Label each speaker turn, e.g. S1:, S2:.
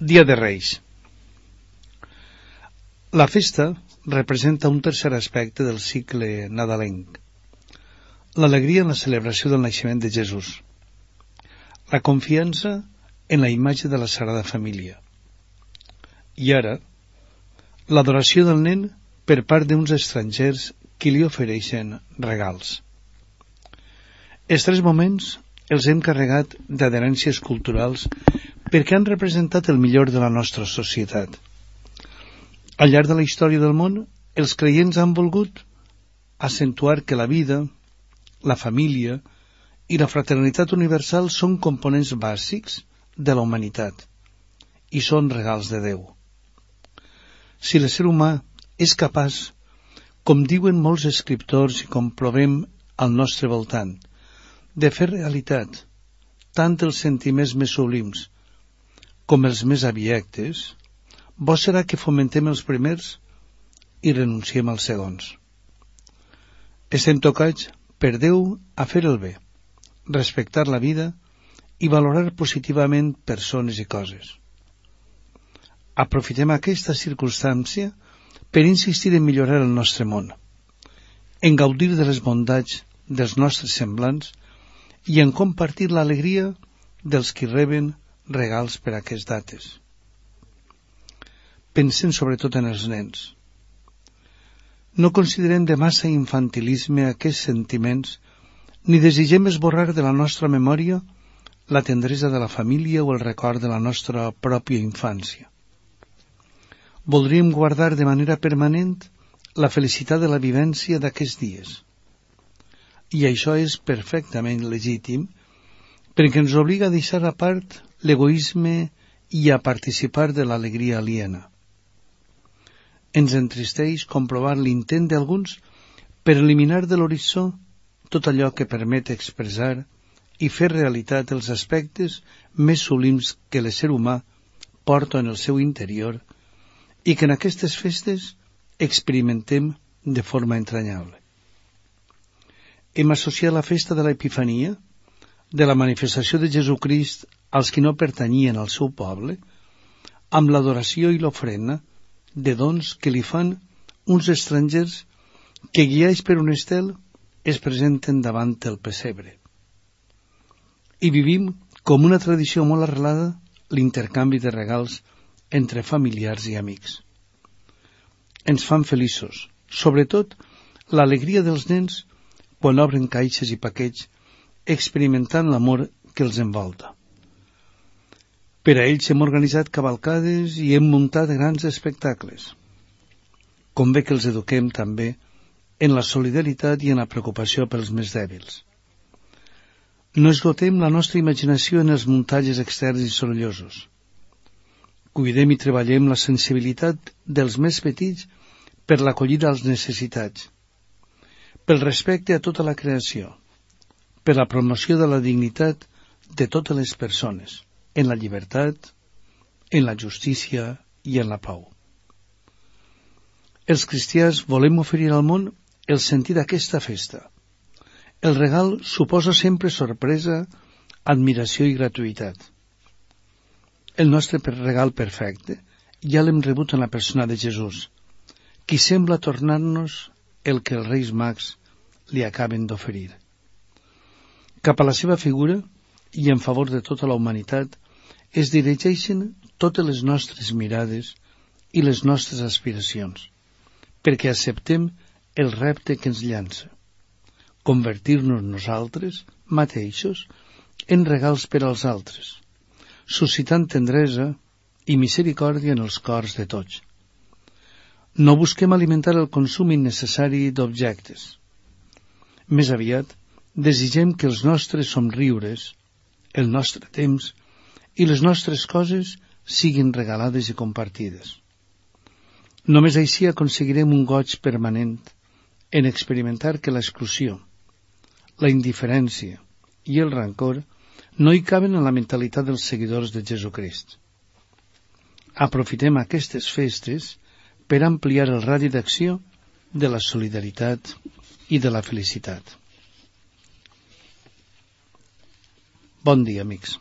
S1: Dia de Reis. La festa representa un tercer aspecte del cicle nadalenc, l'alegria en la celebració del naixement de Jesús, la confiança en la imatge de la Sagrada Família i ara l'adoració del nen per part d'uns estrangers que li ofereixen regals. Els tres moments els hem carregat d'adherències culturals perquè han representat el millor de la nostra societat. Al llarg de la història del món, els creients han volgut acentuar que la vida, la família i la fraternitat universal són components bàsics de la humanitat i són regals de Déu. Si l'ésser humà és capaç, com diuen molts escriptors i com provem al nostre voltant, de fer realitat tant els sentiments més sublims com els més abiectes, bo serà que fomentem els primers i renunciem als segons. Estem tocats per Déu a fer el bé, respectar la vida i valorar positivament persones i coses. Aprofitem aquesta circumstància per insistir en millorar el nostre món, en gaudir de les bondats dels nostres semblants i en compartir l'alegria dels qui reben regals per a aquestes dates. Pensem sobretot en els nens. No considerem de massa infantilisme aquests sentiments ni desitgem esborrar de la nostra memòria la tendresa de la família o el record de la nostra pròpia infància. Voldríem guardar de manera permanent la felicitat de la vivència d'aquests dies. I això és perfectament legítim perquè ens obliga a deixar a part l'egoisme i a participar de l'alegria aliena. Ens entristeix comprovar l'intent d'alguns per eliminar de l'horitzó tot allò que permet expressar i fer realitat els aspectes més sublims que l'ésser humà porta en el seu interior i que en aquestes festes experimentem de forma entranyable. Hem associat la festa de l'Epifania, de la manifestació de Jesucrist als qui no pertanyien al seu poble, amb l'adoració i l'ofrena de dons que li fan uns estrangers que, guiats per un estel, es presenten davant el pessebre. I vivim, com una tradició molt arrelada, l'intercanvi de regals entre familiars i amics. Ens fan feliços, sobretot l'alegria dels nens quan obren caixes i paquets experimentant l'amor que els envolta. Per a ells hem organitzat cavalcades i hem muntat grans espectacles. Convé que els eduquem també en la solidaritat i en la preocupació pels més dèbils. No esgotem la nostra imaginació en els muntatges externs i sorollosos. Cuidem i treballem la sensibilitat dels més petits per l'acollida als necessitats, pel respecte a tota la creació, per la promoció de la dignitat de totes les persones, en la llibertat, en la justícia i en la pau. Els cristians volem oferir al món el sentit d'aquesta festa. El regal suposa sempre sorpresa, admiració i gratuïtat. El nostre regal perfecte ja l'hem rebut en la persona de Jesús, qui sembla tornar-nos el que els Reis Mags li acaben d'oferir. Cap a la seva figura i en favor de tota la humanitat es dirigeixen totes les nostres mirades i les nostres aspiracions, perquè acceptem el repte que ens llança, convertir-nos nosaltres mateixos en regals per als altres, suscitant tendresa i misericòrdia en els cors de tots. No busquem alimentar el consum innecessari d'objectes. Més aviat, desitgem que els nostres somriures, el nostre temps i les nostres coses siguin regalades i compartides. Només així aconseguirem un goig permanent en experimentar que l'exclusió, la indiferència i el rancor no hi caben en la mentalitat dels seguidors de Jesucrist. Aprofitem aquestes festes per ampliar el radi d'acció de la solidaritat i de la felicitat. Bon dia, amics.